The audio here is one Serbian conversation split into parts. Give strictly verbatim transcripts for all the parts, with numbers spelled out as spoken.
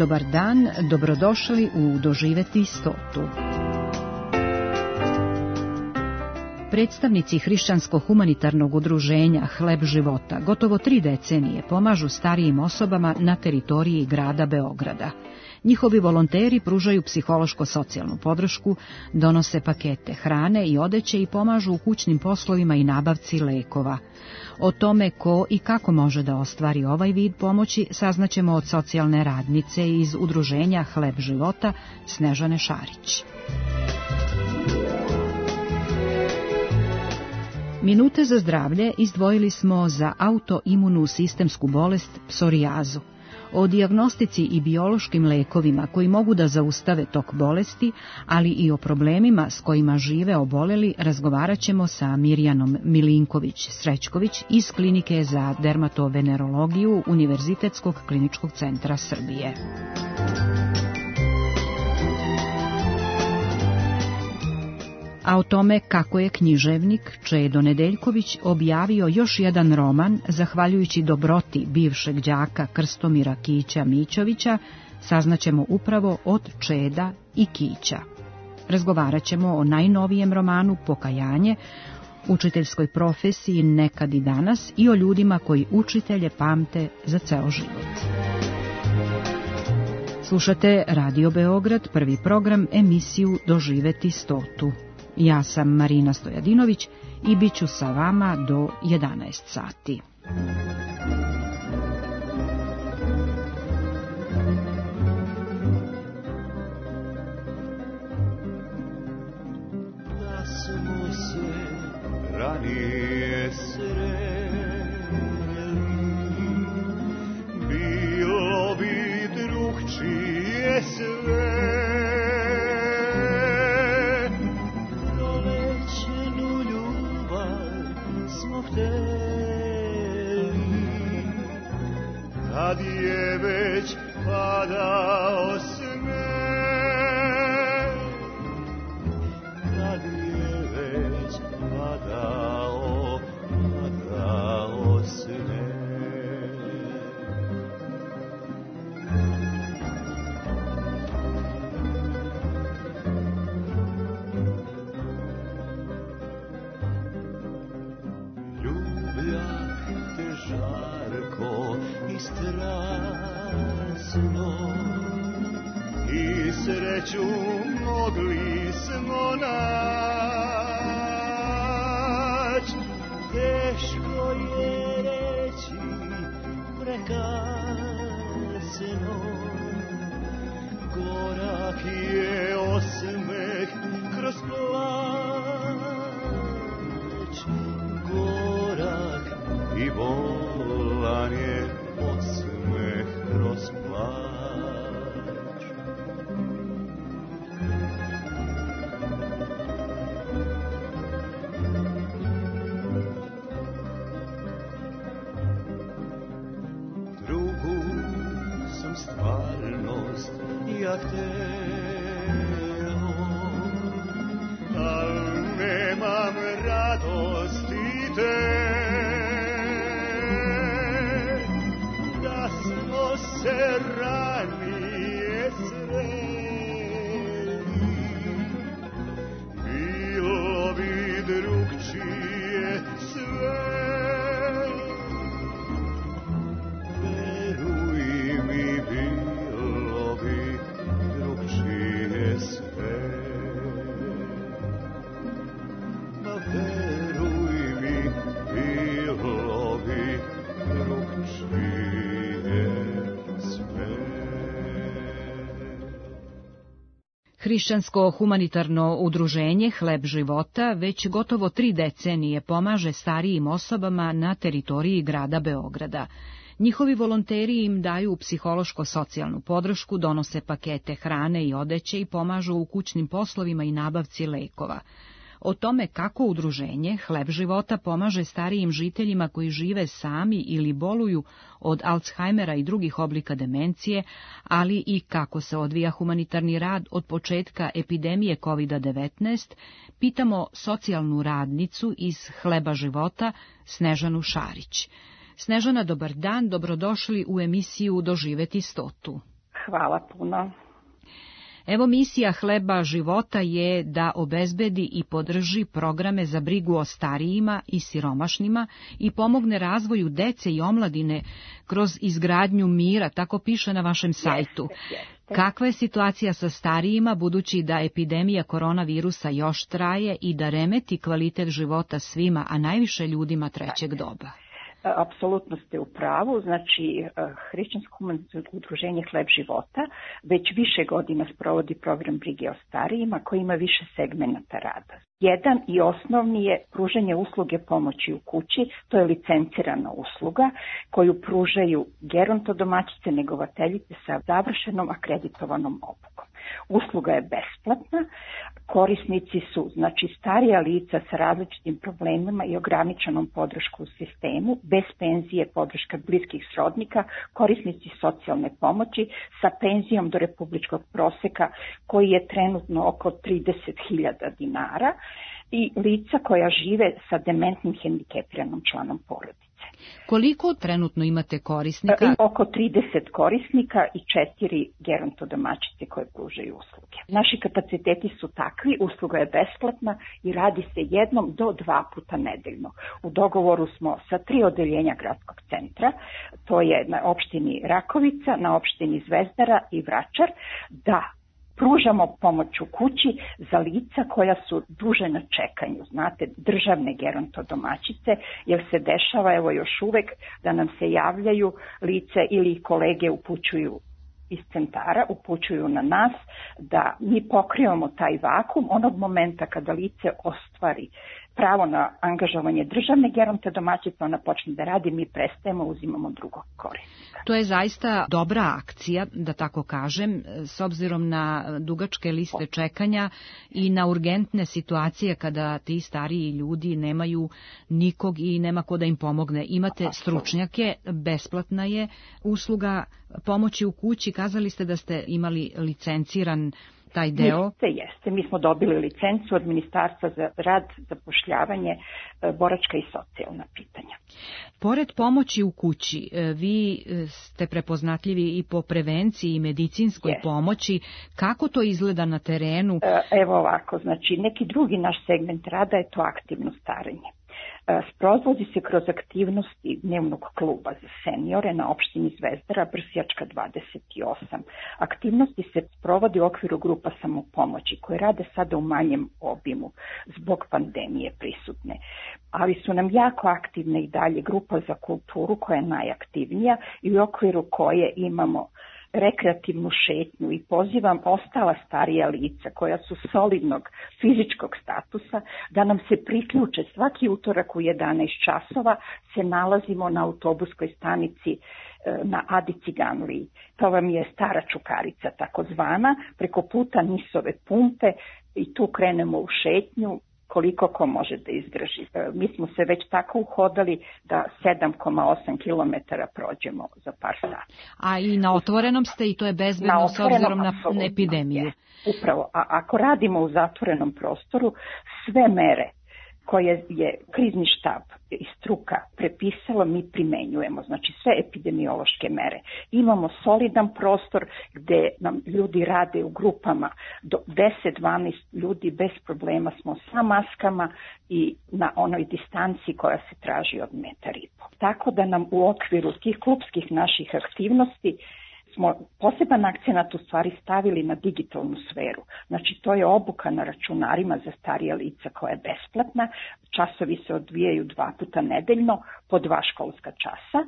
Dobar dan, dobrodošli u Doživeti stotu. Predstavnici hrišćansko-humanitarnog udruženja Hleb života gotovo tri decenije pomažu starijim osobama na teritoriji grada Beograda. Njihovi volonteri pružaju psihološko-socijalnu podršku, donose pakete hrane i odeće i pomažu u kućnim poslovima i nabavci lekova. O tome ko i kako može da ostvari ovaj vid pomoći saznaćemo od socijalne radnice iz udruženja Hleb života Snežane Šarić. Minute za zdravlje izdvojili smo za autoimunu sistemsku bolest psorijazu. O dijagnostici i biološkim lekovima koji mogu da zaustave tok bolesti, ali i o problemima s kojima žive oboleli razgovarat ćemo sa Mirjanom Milinković-Srećković iz Klinike za dermatovenerologiju Univerzitetskog kliničkog centra Srbije. A o tome kako je književnik Čedo Nedeljković objavio još jedan roman, zahvaljujući dobroti bivšeg đaka Krstomira Kića Mićovića, saznaćemo upravo od Čeda i Kića. Razgovarat ćemo o najnovijem romanu Pokajanje, učiteljskoj profesiji Nekad i danas i o ljudima koji učitelje pamte za ceo život. Slušate Radio Beograd, prvi program, emisiju Doživeti stotu. Ja sam Marina Stojadinović i bit ću sa vama do jedanaest sati. Da smo se ranije sreli, bilo bi drugčije sve. Kad je već padao sneg, kad je već padao, padao sneg. Ljubljak te žarko i strasno, i sreću mogli smo nać. Teško je reći prekasno, gorak je osmeh kroz plać, gorak i bolan je osmeh kroz plać. Drugu sam stvarnost ja hteo, al nemam radosti te. Se ranije sreli, bilo bi drugčije sve. Veruj mi, bilo bi drugčije sve. Ma veruj mi, bilo bi drugčije. Hrišćansko-humanitarno udruženje Hleb života već gotovo tri decenije pomaže starijim osobama na teritoriji grada Beograda. Njihovi volonteri im daju psihološko-socijalnu podršku, donose pakete hrane i odeće i pomažu u kućnim poslovima i nabavci lekova. O tome kako udruženje Hleb života pomaže starijim žiteljima koji žive sami ili boluju od Alzheimera i drugih oblika demencije, ali i kako se odvija humanitarni rad od početka epidemije kovid devetnaest, pitamo socijalnu radnicu iz Hleba života Snežanu Šarić. Snežana, dobar dan, dobrodošli u emisiju Doživeti stotu. Hvala puno. Evo, misija Hleba života je da obezbedi i podrži programe za brigu o starijima i siromašnima i pomogne razvoju dece i omladine kroz izgradnju mira, tako piše na vašem sajtu. Jeste, jeste. Kakva je situacija sa starijima, budući da epidemija koronavirusa još traje i da remeti kvalitet života svima, a najviše ljudima trećeg doba? Apsolutno ste u pravu, znači Hrišćansko humanitarno udruženje Hleb života već više godina sprovodi program brige o starijima koji ima više segmenata rada. Jedan i osnovni je pružanje usluge pomoći u kući, to je licencirana usluga koju pružaju gerontodomaćice, negovateljice sa završenom akreditovanom obukom. Usluga je besplatna, korisnici su znači starija lica sa različitim problemima i ograničenom podrškom u sistemu, bez penzije, podrška bliskih srodnika, korisnici socijalne pomoći sa penzijom do republičkog proseka koji je trenutno oko trideset hiljada dinara i lica koja žive sa dementnim hendikepiranom članom porodice. Koliko trenutno imate korisnika? I oko trideset korisnika i četiri gerontodomaćice koje pružaju usluge. Naši kapaciteti su takvi, usluga je besplatna i radi se jednom do dva puta nedeljno. U dogovoru smo sa tri odeljenja gradskog centra, to je na opštini Rakovica, na opštini Zvezdara i Vračar, da pružamo pomoć u kući za lica koja su duže na čekanju, znate, državne gerontodomaćice, jer se dešava, evo još uvek, da nam se javljaju lice ili kolege upućuju iz centara, upućuju na nas da mi pokrivamo taj vakum onog momenta kada lice ostvari pravo na angažovanje državne gerontodomaćice, ona počne da radi, mi prestajemo, uzimamo drugog korisnika. To je zaista dobra akcija, da tako kažem, s obzirom na dugačke liste čekanja i na urgentne situacije kada ti stariji ljudi nemaju nikog i nema ko da im pomogne. Imate stručnjake, besplatna je usluga pomoći u kući, kazali ste da ste imali licenciran taj deo? Jeste, jeste. Mi smo dobili licencu od Ministarstva za rad, zapošljavanje, boračka i socijalna pitanja. Pored pomoći u kući, vi ste prepoznatljivi i po prevenciji i medicinskoj Jeste. pomoći. Kako to izgleda na terenu? Evo ovako, znači neki drugi naš segment rada je to aktivno starenje. Sprovodi se kroz aktivnosti dnevnog kluba za seniore na opštini Zvezdara, Brsjačka dvadeset osam. Aktivnosti se sprovodi u okviru grupa samopomoći koje rade sada u manjem obimu zbog pandemije prisutne. Ali su nam jako aktivne i dalje grupa za kulturu koja je najaktivnija i u okviru koje imamo rekreativnu šetnju i pozivam ostala starija lica koja su solidnog fizičkog statusa da nam se priključe. Svaki utorak u jedanaest časova se nalazimo na autobuskoj stanici na Adi Ciganliji. To vam je stara Čukarica takozvana, preko puta Nisove pumpe i tu krenemo u šetnju koliko ko može da izdrži. Mi smo se već tako uhodali da sedam zarez osam kilometara prođemo za par sati. A i na otvorenom ste i to je bezbedno s obzirom na epidemiju. Je. Upravo, a ako radimo u zatvorenom prostoru, sve mere koje je krizni štab i struka prepisalo, mi primenjujemo, znači sve epidemiološke mere. Imamo solidan prostor gde nam ljudi rade u grupama, do deset do dvanaest ljudi bez problema smo sa maskama i na onoj distanci koja se traži od metar i po. Tako da nam u okviru tih klupskih naših aktivnosti smo poseban akcenat u stvari stavili na digitalnu sferu. Znači to je obuka na računarima za starije lica koja je besplatna. Časovi se odvijaju dva puta nedeljno po dva školska časa.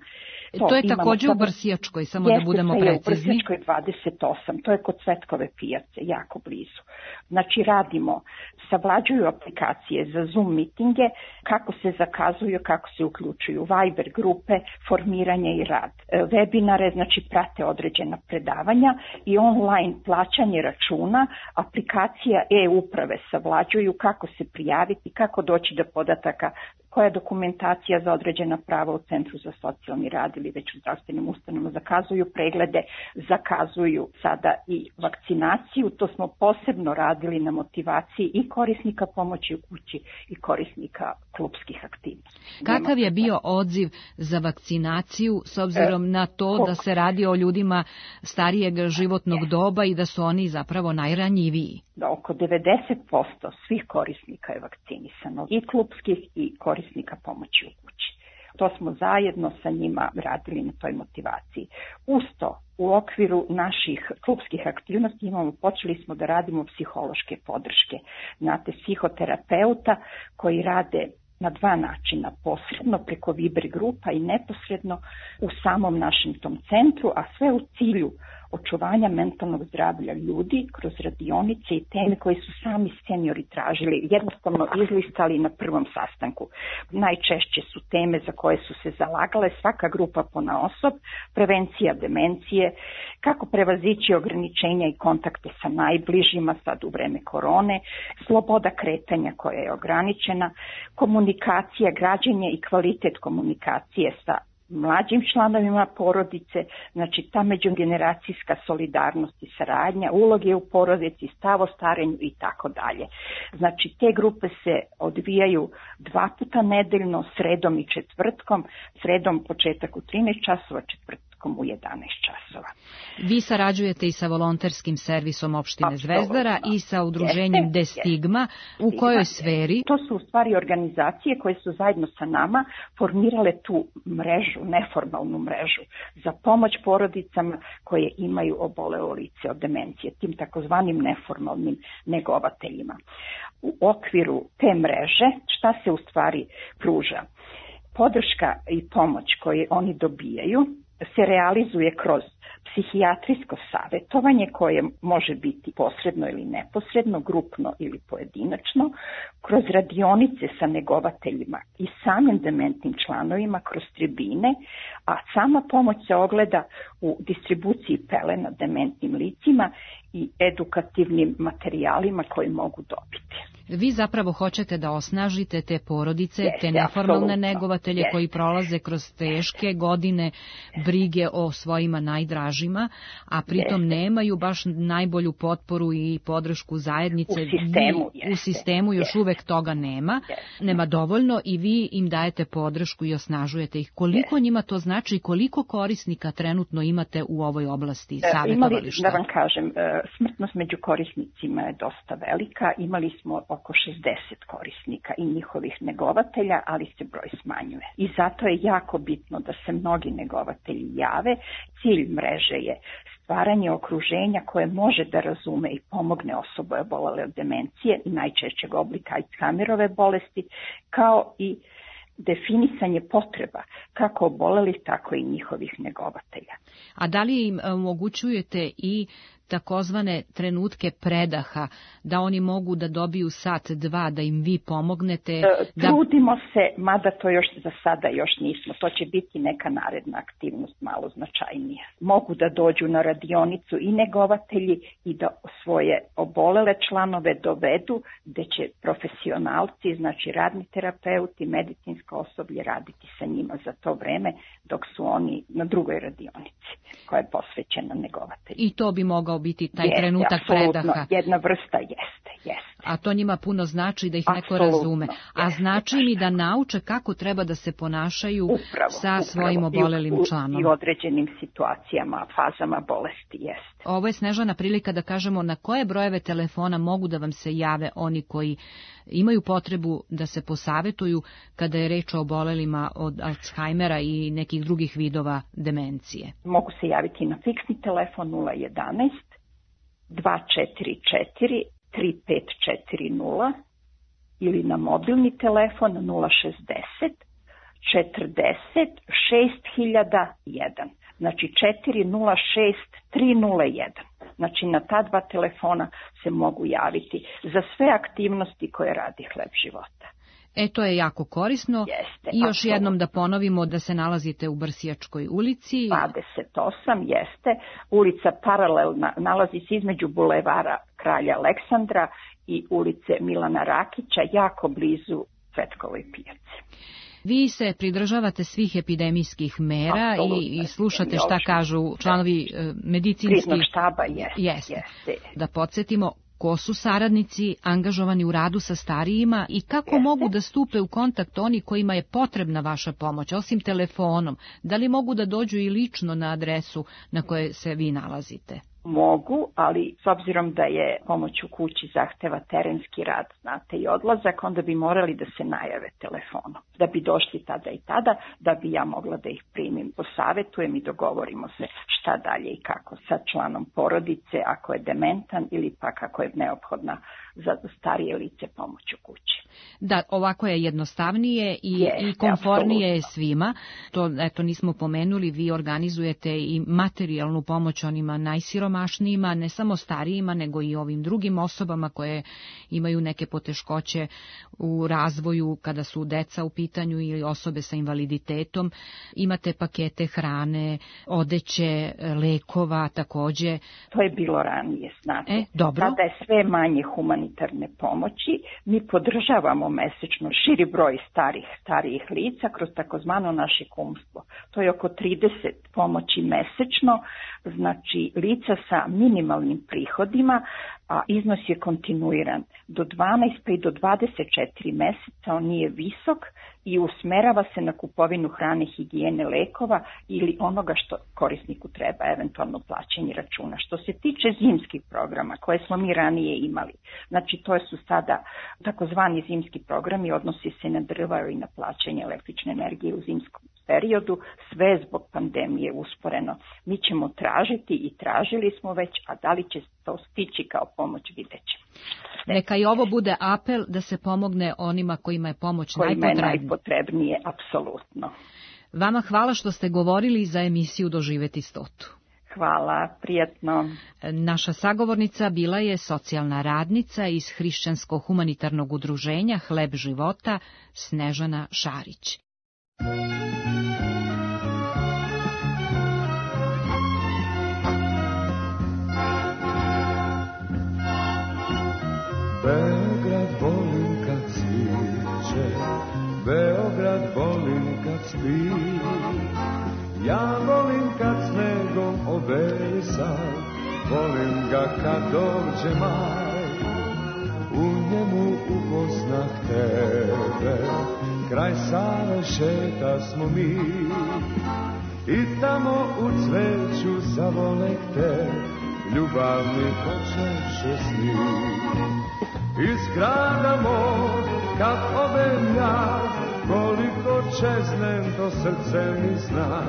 To, to je također u Brsjačkoj, samo da budemo precizni. Jeste, u Brsjačkoj dvadeset osam, to je kod Cvetkove pijace, jako blizu. Znači radimo, savlađuju aplikacije za Zoom mitinge, kako se zakazuju, kako se uključuju Viber grupe, formiranje i rad. Webinare, znači prate određena predavanja i online plaćanje računa, aplikacija e-uprave savlađuju kako se prijaviti, kako doći do podataka koja dokumentacija za određena prava u Centru za socijalni rad ili već u zdravstvenim ustanovama, zakazuju preglede, zakazuju sada i vakcinaciju. To smo posebno radili na motivaciji i korisnika pomoći u kući i korisnika klupskih aktivnosti. Kakav je bio odziv za vakcinaciju s obzirom na to da se radi o ljudima starijeg životnog doba i da su oni zapravo najranjiviji? Da oko devedeset posto svih korisnika je vakcinisano, i klupskih i korisnika pomoći u kući. To smo zajedno sa njima radili na toj motivaciji. Usto, u okviru naših klupskih aktivnosti imamo, počeli smo da radimo psihološke podrške. Znate, psihoterapeuta koji rade na dva načina, posredno preko Viber grupa i neposredno u samom našem tom centru, a sve u cilju očuvanja mentalnog zdravlja ljudi kroz radionice i teme koje su sami seniori tražili, jednostavno izlistali na prvom sastanku. Najčešće su teme za koje su se zalagale svaka grupa ponaosob, prevencija demencije, kako prevazići ograničenja i kontakte sa najbližima sad u vreme korone, sloboda kretanja koja je ograničena, komunikacija, građenje i kvalitet komunikacije sa mlađim članovima porodice, znači ta međugeneracijska solidarnost i saradnja, uloge u porodici, stav o starenju i tako dalje. Znači te grupe se odvijaju dva puta nedeljno, sredom i četvrtkom, sredom početak u trinaest časova, četvrtkom u jedanaest časova. Vi sarađujete i sa volonterskim servisom opštine Apsolutno. Zvezdara i sa udruženjem Jeste, Destigma. jeste. U kojoj sferi? To su u stvari organizacije koje su zajedno sa nama formirale tu mrežu, neformalnu mrežu za pomoć porodicama koje imaju obolelo lice od demencije, tim takozvanim neformalnim negovateljima. U okviru te mreže šta se u stvari pruža? Podrška i pomoć koje oni dobijaju se realizuje kroz psihijatrijsko savjetovanje koje može biti posredno ili neposredno, grupno ili pojedinačno, kroz radionice sa negovateljima i samim dementnim članovima kroz tribine, a sama pomoć se ogleda u distribuciji pelena dementnim licima i edukativnim materijalima koji mogu dobiti. Vi zapravo hoćete da osnažite te porodice, Jeste, te neformalne apsolutno. negovatelje Jeste. koji prolaze kroz teške godine brige o svojima najdražima, a pritom Jeste. nemaju baš najbolju potporu i podršku zajednice. U sistemu, vi, jeste. u sistemu još Jeste. uvek toga nema. Jeste. Nema dovoljno i vi im dajete podršku i osnažujete ih. Koliko Jeste. njima to znači i koliko korisnika trenutno imate u ovoj oblasti Imali, savjetovališta? da vam kažem, smrtnost među korisnicima je dosta velika. Imali smo oko šezdeset korisnika i njihovih negovatelja, ali se broj smanjuje. I zato je jako bitno da se mnogi negovatelji jave. Cilj mreže je stvaranje okruženja koje može da razume i pomogne osobe obolele od demencije i najčešćeg oblika Alzheimerove bolesti, kao i definisanje potreba kako obolelih, tako i njihovih negovatelja. A da li im omogućujete i takozvane trenutke predaha, da oni mogu da dobiju sat, dva, da im vi pomognete? Da... Trudimo se, mada to još za sada još nismo. To će biti neka naredna aktivnost malo značajnija. Mogu da dođu na radionicu i negovatelji i da svoje obolele članove dovedu, gde će profesionalci, znači radni terapeuti, medicinsko osoblje raditi sa njima za to vreme dok su oni na drugoj radionici koja je posvećena negovatelju. I to bi mogao biti taj jeste, trenutak predaha. Jedna vrsta jeste, jeste. A to njima puno znači da ih neko Apsolutno, razume. A jeste, znači mi da nauče kako treba da se ponašaju upravo, sa upravo. svojim obolelim I u, članom. I u određenim situacijama, fazama bolesti, jeste. Ovo je Snežana prilika da kažemo na koje brojeve telefona mogu da vam se jave oni koji imaju potrebu da se posavetuju kada je reč o obolelima od Alzheimera i nekih drugih vidova demencije. Mogu se javiti na fiksni telefon nula jedanaest dva četiri četiri tri pet četiri nula ili na mobilni telefon nula šezdeset četrdeset šest hiljada jedan. Znači četiri nula šest tri nula jedan. Znači na ta dva telefona se mogu javiti za sve aktivnosti koje radi Hleb života. E, to je jako korisno. Jeste, I još apsolutno. jednom da ponovimo da se nalazite u Brsijačkoj ulici. dvadeset osam, jeste. Ulica paralelna, nalazi se između bulevara Kralja Aleksandra i ulice Milana Rakića, jako blizu Cvetkovoj pijaci. Vi se pridržavate svih epidemijskih mera Apsolutno, i, i slušate šta kažu članovi medicinskih... Kriznog štaba, jeste. Jeste. Jeste. Da podsjetimo, ko su saradnici angažovani u radu sa starijima i kako Jeste. mogu da stupe u kontakt oni kojima je potrebna vaša pomoć, osim telefonom? Da li mogu da dođu i lično na adresu na kojoj se vi nalazite? Mogu, ali s obzirom da je pomoć u kući zahteva terenski rad, znate, i odlazak, onda bi morali da se najave telefonom. Da bi došli tada i tada, da bi ja mogla da ih primim, posavjetujem i dogovorimo se šta dalje i kako sa članom porodice, ako je dementan ili pak ako je neophodna za starije lice pomoć u kući. Da, ovako je jednostavnije i, je, i komfornije je apsolutno. svima. To, eto, nismo pomenuli, vi organizujete i materijalnu pomoć onima najsiromašnijima, ne samo starijima, nego i ovim drugim osobama koje imaju neke poteškoće u razvoju kada su deca u pitanju ili osobe sa invaliditetom. Imate pakete hrane, odeće, lekova takođe. To je bilo ranije, znate. E, dobro. Sada je sve manje humanitarne pomoći. Mi podržavamo mesečno širi broj starih, starijih lica kroz takozvano naše kumstvo. To je oko trideset pomoći mesečno, znači lica sa minimalnim prihodima, a iznos je kontinuiran. Do dvanaest pa i do dvadeset četiri meseca on nije visok i usmerava se na kupovinu hrane, higijene, lekova ili onoga što korisniku treba, eventualno plaćanje računa. Što se tiče zimskih programa koje smo mi ranije imali, znači to su sada takozvani zimski programi, odnosi se na drva i na plaćanje električne energije u zimskom periodu, sve zbog pandemije usporeno. Mi ćemo tražiti i tražili smo već, a da li će to stići kao pomoć, vidjet ćemo. Neka i ovo bude apel da se pomogne onima kojima je pomoć kojima je najpotrebnija. najpotrebnije, apsolutno. Vama hvala što ste govorili za emisiju Doživeti stotu. Hvala, prijatno. Naša sagovornica bila je socijalna radnica iz Hrišćansko-humanitarnog udruženja Hleb života Snežana Šarić. Beograd volim kad sviće, Beograd volim kad spi, ja volim kad snegom oberisan, volim ga kad dođe maj, u njemu upoznah tebe, kraj Save šeta smo mi, i tamo u cveću zavolek te, ljubavni počeše sni. Iz grada moj, kad odem ja, koliko čeznem, to srce mi zna.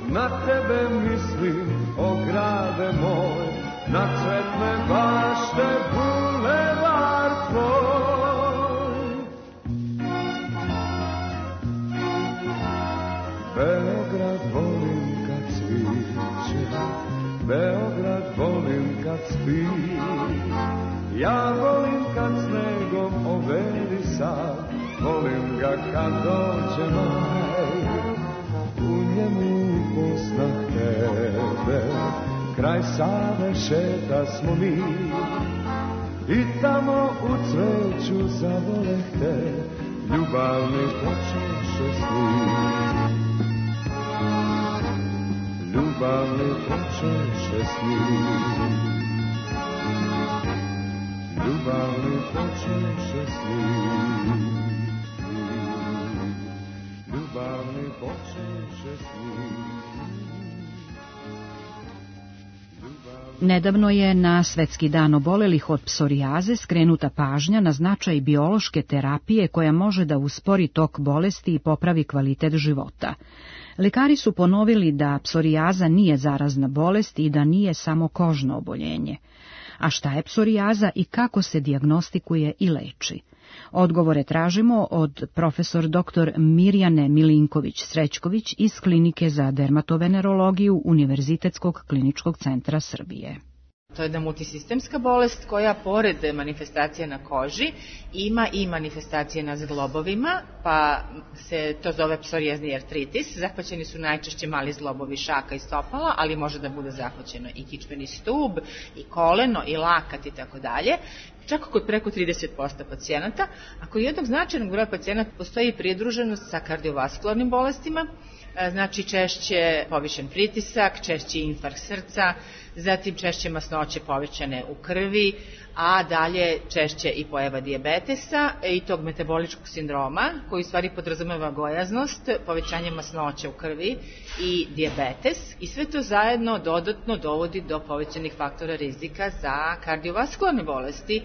Na tebe mislim, o grade moj, na cvetne bašte, bulevar tvoj. Beograd volim kad cviće, Beograd volim kad spi, ja volim kad snegom overisan, volim ga kad dođe maj, u njemu upoznah tebe, kraj Save šeta smo mi, i tamo u cveću zavoleh te, ljubavni počeše sni. Ljubavni počeše sni, ljubavni počeše sni, ljubavni počeše sni. Nedavno je na Svetski dan obolelih od psorijaze skrenuta pažnja na značaj biološke terapije koja može da uspori tok bolesti i popravi kvalitet života. Lekari su ponovili da psorijaza nije zarazna bolest i da nije samo kožno oboljenje. A šta je psorijaza i kako se dijagnostikuje i leči? Odgovore tražimo od profesor doktor Mirjane Milinković-Srećković iz Klinike za dermatovenerologiju Univerzitetskog kliničkog centra Srbije. To je jedna multisistemska bolest koja pored manifestacija na koži ima i manifestacije na zglobovima, pa se to zove psorijazni artritis. Zahvaćeni su najčešće mali zglobovi šaka i stopala, ali može da bude zahvaćeno i kičmeni stub, i koleno, i lakat i tako dalje. čak kod preko trideset posto pacijenata, a kod jednog značajnog broja pacijenata postoji pridruženost sa kardiovaskularnim bolestima, znači češće povišen pritisak, češće infarkt srca, zatim češće masnoće povećane u krvi, a dalje češće i pojava dijabetesa i tog metaboličkog sindroma, koji u stvari podrazumeva gojaznost, povećanje masnoća u krvi i dijabetes, i sve to zajedno dodatno dovodi do povećanih faktora rizika za kardiovaskularne bolesti,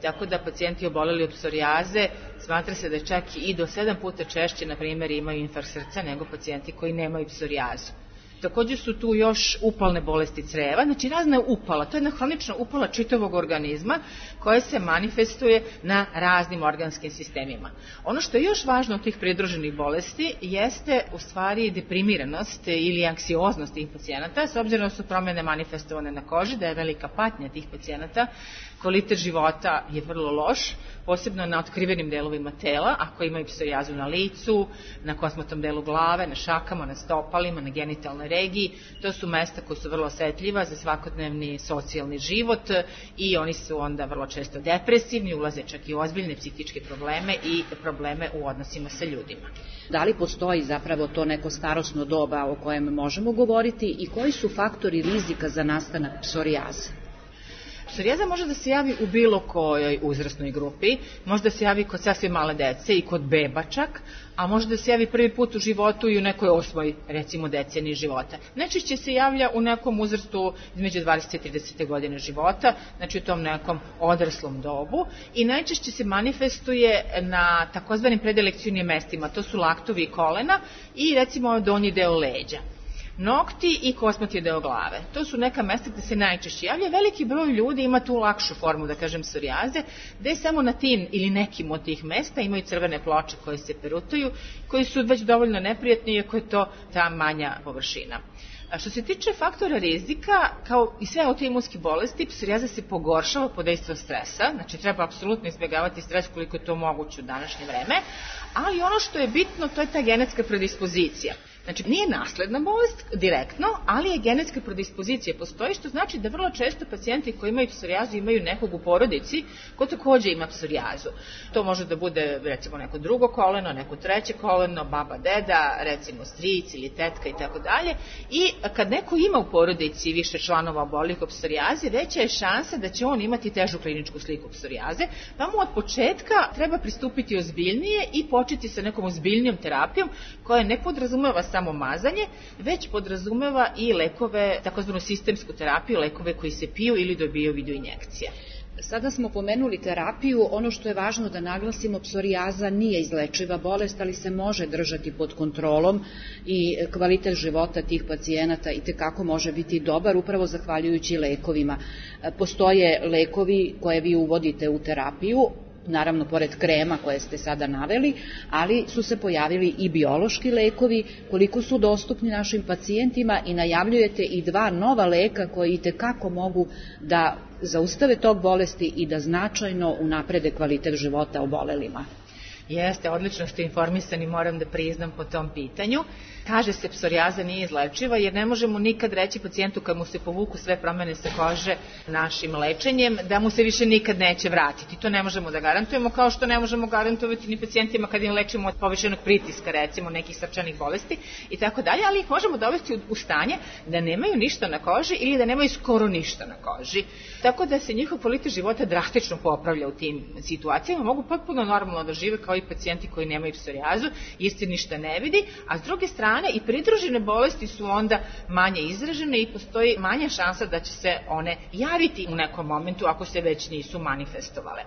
tako da pacijenti oboleli od psorijaze smatra se da čak i do sedam puta češće, na primjer, imaju infarkt srca nego pacijenti koji nemaju psorijazu. Također su tu još upalne bolesti creva, znači razna upala, to je jedna hronična upala čitavog organizma koja se manifestuje na raznim organskim sistemima. Ono što je još važno od tih pridruženih bolesti jeste u stvari deprimiranost ili anksioznost tih pacijenata, s obzirom da su promjene manifestovane na koži, da je velika patnja tih pacijenata, kvalitet života je vrlo loš, posebno na otkrivenim delovima tela, ako imaju psorijazu na licu, na kosmatom delu glave, na šakama, na stopalima, na genitalnoj regiji. To su mesta koja su vrlo osetljiva za svakodnevni socijalni život i oni su onda vrlo često depresivni, ulaze čak i u ozbiljne psihičke probleme i probleme u odnosima sa ljudima. Da li postoji zapravo to neko starosno doba o kojem možemo govoriti i koji su faktori rizika za nastanak psorijaze? Psorijaza može da se javi u bilo kojoj uzrasnoj grupi, može da se javi kod sasvim male dece i kod beba čak, a može da se javi prvi put u životu i u nekoj osmoj, recimo, deceniji života. Najčešće se javlja u nekom uzrastu između dvadeset i trideset godine života, znači u tom nekom odraslom dobu, i najčešće se manifestuje na takozvanim predilekcionim mestima, to su laktovi i kolena i recimo donji deo leđa. Nokti i kosmati deo glave. To su neka mesta gde se najčešće javlja. Veliki broj ljudi ima tu lakšu formu, da kažem, psorijaze, gde samo na tim ili nekim od tih mesta imaju crvene ploče koje se perutuju, koji su već dovoljno neprijatni, iako je to ta manja površina. A što se tiče faktora rizika, kao i sve autoimunske bolesti, psorijaza se pogoršava pod dejstvom stresa, znači treba apsolutno izbjegavati stres koliko je to moguće u današnje vreme, ali ono što je bitno, to je ta genetska predispozicija. Znači, nije nasledna bolest direktno, ali je genetska predispozicija postoji, što znači da vrlo često pacijenti koji imaju psorijazu imaju nekog u porodici ko takođe ima psorijazu. To može da bude, recimo, neko drugo koleno, neko treće koleno, baba, deda, recimo stric ili tetka i tako dalje. I kad neko ima u porodici više članova obolelih od psorijaze, veća je šansa da će on imati težu kliničku sliku psorijaze, pa mu od početka treba pristupiti ozbiljnije i početi sa nekom ozbiljnijom terapijom koja ne podrazumeva samo mazanje, već podrazumeva i lekove, takozvanu sistemsku terapiju, lekove koji se piju ili dobiju u vidu injekcija. Sada smo pomenuli terapiju, ono što je važno da naglasimo, psorijaza nije izlečiva bolest, ali se može držati pod kontrolom i kvalitet života tih pacijenata itekako može biti dobar, upravo zahvaljujući lekovima. Postoje lekovi koje vi uvodite u terapiju, naravno pored krema koje ste sada naveli, ali su se pojavili i biološki lekovi, koliko su dostupni našim pacijentima, i najavljujete i dva nova leka koji itekako mogu da zaustave tok bolesti i da značajno unaprede kvalitet života obolelima. Jeste, odlično ste informisani, moram da priznam po tom pitanju. Kaže se psorijaza nije izlečiva jer ne možemo nikad reći pacijentu kad mu se povuku sve promene sa kože našim lečenjem da mu se više nikad neće vratiti. To ne možemo da garantujemo, kao što ne možemo garantovati ni pacijentima kad im lečimo od povišenog pritiska, recimo nekih srčanih bolesti i tako dalje, ali ih možemo dovesti u stanje da nemaju ništa na koži ili da nemaju skoro ništa na koži. Tako da se njihov kvalitet života drastično popravlja u tim situacijama, mogu potpuno normalno da žive kao i pacijenti koji nemaju psorijazu, jer se ništa ne vidi, a s druge strane i pridružene bolesti su onda manje izražene i postoji manja šansa da će se one javiti u nekom momentu ako se već nisu manifestovale.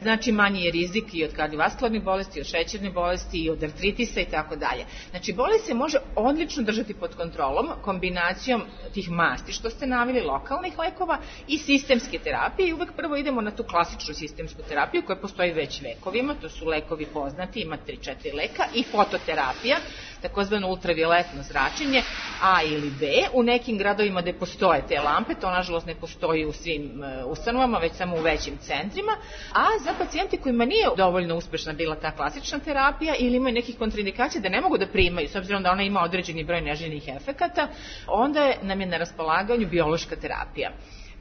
Znači manji je rizik i od kardiovaskularnih bolesti, i od šećerne bolesti, i od artritisa i tako dalje. Znači bolest se može odlično držati pod kontrolom kombinacijom tih masti što ste naveli, lokalnih lekova i sistemske terapije, i uvek prvo idemo na tu klasičnu sistemsku terapiju koja postoji već vekovima, to su lekovi poznati, ima tri četiri leka, i fototerapija, takozvano ultravioletno zračenje A ili B, u nekim gradovima gde postoje te lampe, to nažalost ne postoji u svim ustanovama, već samo u većim centrima, a za pacijenti kojima nije dovoljno uspešna bila ta klasična terapija ili imaju nekih kontraindikacija da ne mogu da primaju, s obzirom da ona ima određeni broj neželjenih efekata, onda nam je na raspolaganju biološka terapija.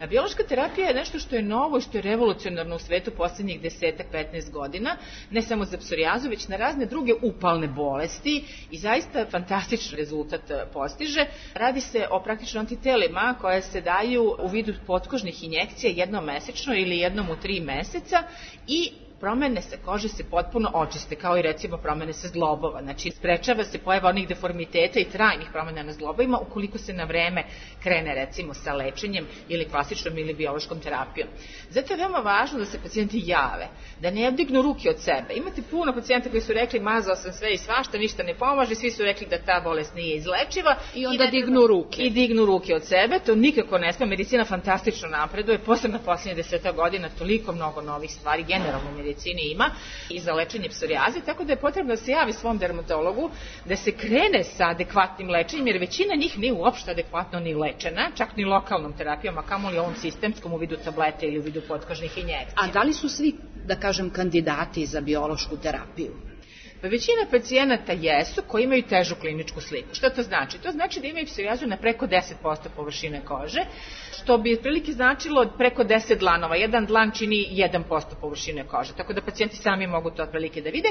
A biološka terapija je nešto što je novo i što je revolucionarno u svetu poslednjih deset do petnaest godina, ne samo za psorijazu, već na razne druge upalne bolesti i zaista fantastičan rezultat postiže. Radi se o praktično antitelima koje se daju u vidu potkožnih injekcija jednom mesečno ili jednom u tri meseca i promene sa kože se potpuno očiste, kao i recimo promene sa zglobova. Znači, sprečava se pojava onih deformiteta i trajnih promena na zglobovima ukoliko se na vreme krene recimo sa lečenjem ili klasičnom ili biološkom terapijom. Zato je veoma važno da se pacijenti jave, da ne dignu ruke od sebe. Imate puno pacijenta koji su rekli mazao sam sve i svašta, ništa ne pomaže, svi su rekli da ta bolest nije izlečiva. I onda i dignu ruke. I dignu ruke od sebe, to nikako ne sme. Medicina fantastično napreduje, posebno poslednje deseta godina, toliko mnogo novih stvari, generalno medicina ima i za lečenje psorijaze, tako da je potrebno da se javi svom dermatologu, da se krene sa adekvatnim lečenjem, jer većina njih nije uopšte adekvatno ni lečena, čak ni lokalnom terapijom, a kamoli ovom sistemskom u vidu tablete ili u vidu potkožnih injekcija. A da li su svi, da kažem, kandidati za biološku terapiju? Pa većina pacijenata jesu koji imaju težu kliničku sliku. Što to znači? To znači da imaju psorijazu na preko deset posto površine kože, što bi otprilike značilo preko deset dlanova. Jedan dlan čini jedan posto površine kože, tako da pacijenti sami mogu to otprilike da vide.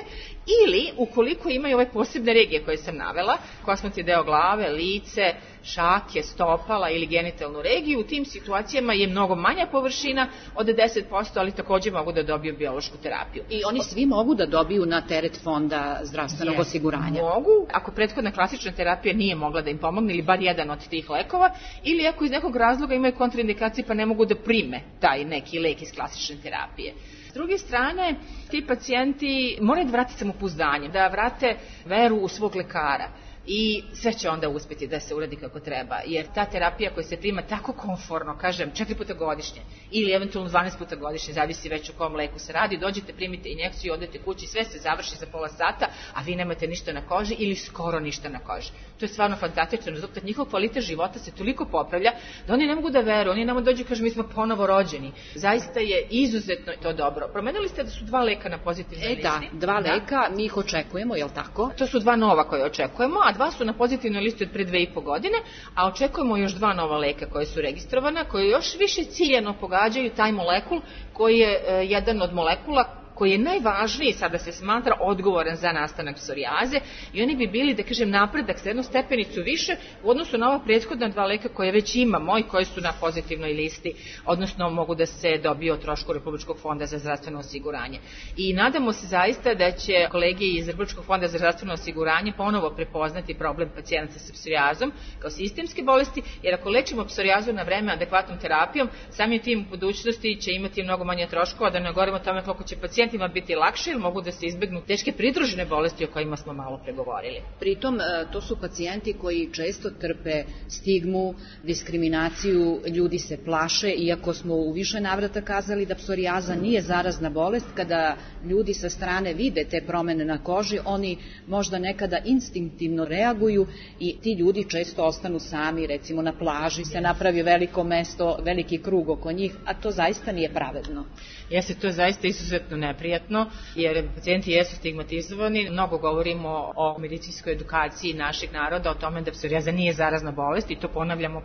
Ili, ukoliko imaju ove posebne regije koje sam navela, kosmatni deo glave, lice, šake, stopala ili genitalnu regiju, u tim situacijama je mnogo manja površina od deset posto, ali takođe mogu da dobiju biološku terapiju. I oni svi mogu da dobiju na teret fonda zdravstvenog yes. osiguranja? Mogu, ako prethodna klasična terapija nije mogla da im pomogne, ili bar jedan od tih lekova, ili ako iz nekog razloga imaju kontraindikacije pa ne mogu da prime taj neki lek iz klasične terapije. S druge strane, ti pacijenti moraju da vrate samopouzdanje, da vrate veru u svog lekara. I sve će onda uspjeti da se uradi kako treba, jer ta terapija koja se prima tako komforno, kažem, četiri puta godišnje ili eventualno dvanaest puta godišnje, zavisi već o kom leku se radi, dođete, primite injekciju, odete kući, sve se završi za pola sata, a vi nemate ništa na koži ili skoro ništa na koži. To je stvarno fantastičan rezultat. Njihov kvalitet života se toliko popravlja da oni ne mogu da veruju, oni nam dođu i kažu mi smo ponovo rođeni. Zaista je izuzetno to dobro. Promenili ste da su dva leka na pozitivnoj listi? E da, dva leka, mi ih očekujemo, je li tako? To su dva nova koje očekujemo, a dva su na pozitivnoj listi od pre dve i po godine, a očekujemo još dva nova leka koje su registrovana, koje još više ciljano pogađaju taj molekul koji je e, jedan od molekula koji je najvažniji, sada se smatra, odgovoran za nastanak psorijaze i oni bi bili, da kažem, napredak za jednu stepenicu više u odnosu na ova prethodna dva leka koje već imamo i koje su na pozitivnoj listi, odnosno mogu da se dobiju o trošku Republičkog fonda za zdravstveno osiguranje. I nadamo se zaista da će kolege iz Republičkog fonda za zdravstveno osiguranje ponovo prepoznati problem pacijenata sa psorijazom kao sistemske bolesti, jer ako lečimo psorijazu na vreme adekvatnom terapijom, samim tim u budućnosti će imati mnogo manje troškova, da ne govorimo o tome koliko će pacijenti biti lakše ili mogu da se izbegnu teške pridružene bolesti o kojima smo malo pregovorili. Pritom, to su pacijenti koji često trpe stigmu, diskriminaciju, ljudi se plaše, iako smo u više navrata kazali da psorijaza nije zarazna bolest, kada ljudi sa strane vide te promene na koži, oni možda nekada instinktivno reaguju i ti ljudi često ostanu sami, recimo na plaži se napravi veliko mesto, veliki krug oko njih, a to zaista nije pravedno. Jeste, to je zaista izuzetno neprijatno, jer pacijenti jesu stigmatizovani. Mnogo govorimo o medicinskoj edukaciji našeg naroda, o tome da psorijaza nije zarazna bolest i to ponavljamo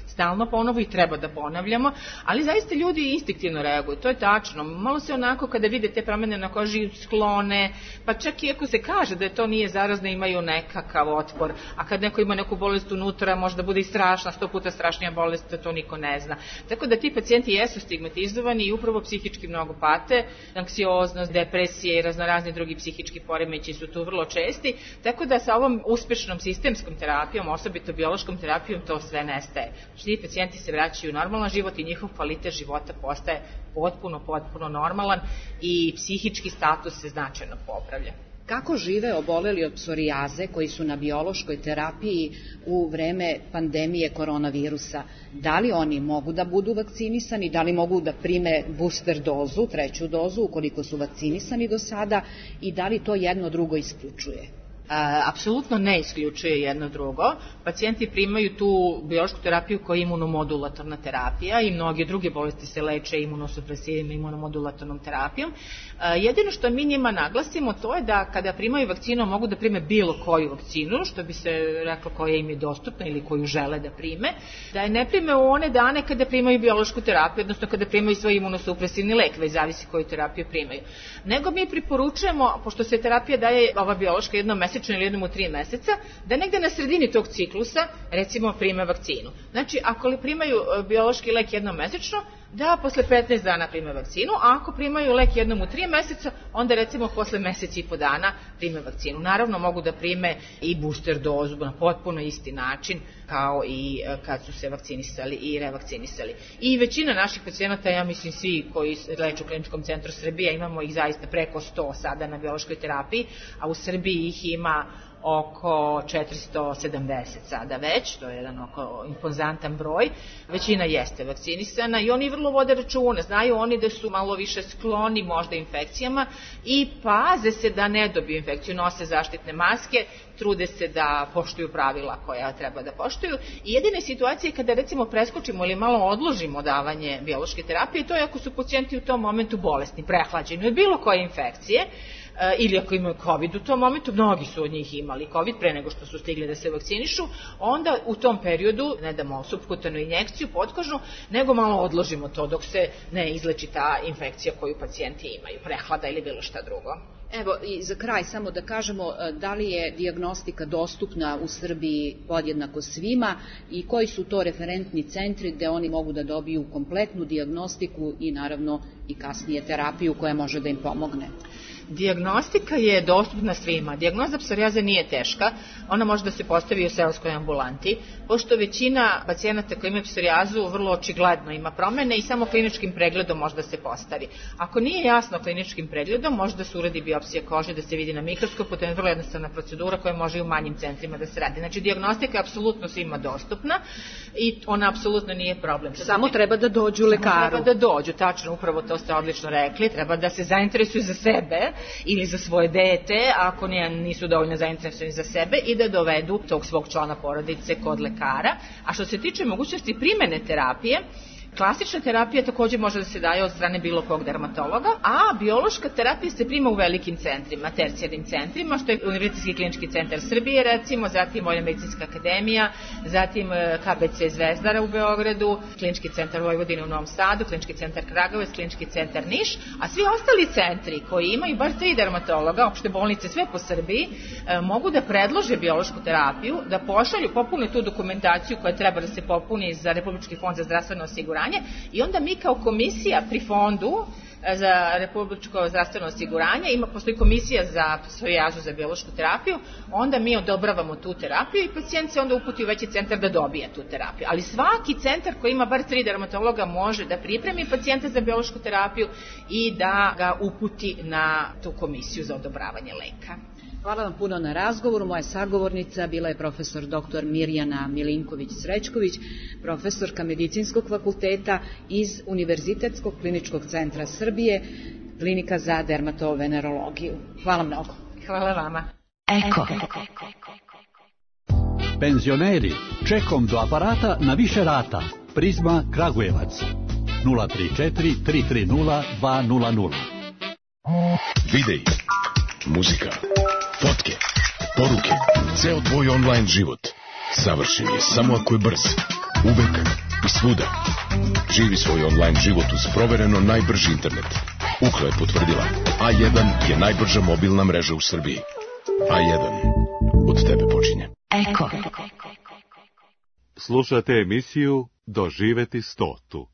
stalno ponovo i treba da ponavljamo, ali zaista ljudi instinktivno reaguju, to je tačno. Malo se onako kada vide te promene na koži sklone, pa čak i ako se kaže da to nije zarazno, imaju nekakav otpor, a kad neko ima neku bolest unutra, možda bude i strašna, sto puta strašnija bolest, to niko ne zna. Tako da ti pacijenti jesu stigmatizovani i upravo psihički mnogo pate, anksioznost, depresije i raznorazni drugi psihički poremeći su tu vrlo česti, tako da sa ovom uspešnom sistemskom terapijom, osobito biološkom terapijom, to sve nestaje. Ti pacijenti se vraćaju u normalan život i njihov kvalitet života postaje potpuno, potpuno normalan i psihički status se značajno popravlja. Kako žive oboleli od psorijaze koji su na biološkoj terapiji u vreme pandemije koronavirusa? Da li oni mogu da budu vakcinisani, da li mogu da prime booster dozu, treću dozu, ukoliko su vakcinisani do sada i da li to jedno drugo isključuje? apsolutno ne isključuje jedno drugo. Pacijenti primaju tu biološku terapiju koja je imunomodulatorna terapija i mnoge druge bolesti se leče imunosupresivima, imunomodulatornom terapijom. Jedino što mi njima naglasimo to je da kada primaju vakcinu mogu da prime bilo koju vakcinu, što bi se reklo koja im je dostupna ili koju žele da prime, da je ne prime u one dane kada primaju biološku terapiju, odnosno kada primaju svoj imunosupresivni lek, već zavisi koju terapiju primaju. Nego mi preporučujemo, pošto se terapija daje ova biološka jednom mesečno ili jednom u tri meseca, da negde na sredini tog ciklusa recimo prime vakcinu. Znači, ako li primaju biološki lek jednom mesečno, da posle petnaest dana prime vakcinu, a ako primaju lek jednom u tri meseca, onda recimo posle meseci i po dana prime vakcinu. Naravno, mogu da prime i booster dozu na potpuno isti način kao i kad su se vakcinisali i revakcinisali. I većina naših pacijenata, ja mislim svi koji leče u Kliničkom centru Srbije, imamo ih zaista preko sto sada na biološkoj terapiji, a u Srbiji ih ima oko četiristo sedamdeset sada već, to je jedan oko impozantan broj, većina jeste vakcinisana i oni vrlo vode računa, znaju oni da su malo više skloni možda infekcijama i paze se da ne dobiju infekciju, nose zaštitne maske, trude se da poštuju pravila koja treba da poštuju i jedine situacije kada recimo preskočimo ili malo odložimo davanje biološke terapije, to je ako su pacijenti u tom momentu bolesni, prehlađeni od bilo koje infekcije, ili ako imaju COVID u tom momentu, mnogi su od njih imali COVID pre nego što su stigli da se vakcinišu, onda u tom periodu ne damo supkutanu injekciju potkožnu, nego malo odložimo to dok se ne izleči ta infekcija koju pacijenti imaju, prehlada ili bilo šta drugo. Evo, i za kraj samo da kažemo da li je dijagnostika dostupna u Srbiji podjednako svima i koji su to referentni centri gde oni mogu da dobiju kompletnu dijagnostiku i naravno i kasnije terapiju koja može da im pomogne. Dijagnostika je dostupna svima. Dijagnoza psorijaze nije teška, ona može da se postavi u seoskoj ambulanti, pošto većina pacijenata koji imaju psorijazu vrlo očigledno ima promene i samo kliničkim pregledom može da se postavi. Ako nije jasno kliničkim pregledom, može da se uradi biopsija kože, da se vidi na mikroskopu, to je vrlo jednostavna procedura koja može i u manjim centrima da se radi. Znači, dijagnostika je apsolutno svima dostupna i ona apsolutno nije problem. Samo treba da dođu lekaru. Treba da dođu, tačno, upravo to ste odlično rekli, treba da se zainteresuju za sebe ili za svoje dete, ako nisu dovoljno zainteresovani za sebe, i da dovedu tog svog člana porodice kod lekara. A što se tiče mogućnosti primene terapije, klasična terapija takođe može da se daje od strane bilo kog dermatologa, a biološka terapija se prima u velikim centrima, tercijarnim centrima, što je Univerzitetski klinički centar Srbije, recimo, zatim Vojna medicinska akademija, zatim K B C Zvezdara u Beogradu, Klinički centar Vojvodine u Novom Sadu, Klinički centar Kragujevac, Klinički centar Niš, a svi ostali centri koji imaju bar tri dermatologa, opšte bolnice sve po Srbiji, mogu da predlože biološku terapiju, da pošalju, popune tu dokumentaciju koja treba da se popuni za Republički fond za zdravstveno osiguranje i onda mi kao komisija pri fondu za republičko zdravstveno osiguranje, ima, postoji komisija za psorijazu za biološku terapiju, onda mi odobravamo tu terapiju i pacijent se onda uputi u veći centar da dobije tu terapiju. Ali svaki centar koji ima bar tri dermatologa može da pripremi pacijenta za biološku terapiju i da ga uputi na tu komisiju za odobravanje leka. Hvala vam puno na razgovoru. Moja sagovornica bila je profesor doktor Mirjana Milinković-Srećković, profesorka Medicinskog fakulteta iz Univerzitetskog kliničkog centra Srbije, klinika za dermatovenerologiju. Hvala mnogo. Hvala vama. Eko. Penzioneri, čekom do aparata na više rata. Prizma Kragujevac. nula tri četiri tri tri nula dva nula nula. Videi, muzika, fotke, poruke, ceo tvoj online život savršen je samo ako je brz, uvek i svuda. Živi svoj online život uz provereno najbrži internet. Ukla je potvrdila, A jedan je najbrža mobilna mreža u Srbiji. A jedan od tebe počinje. Eko. Slušate emisiju Doživeti stotu.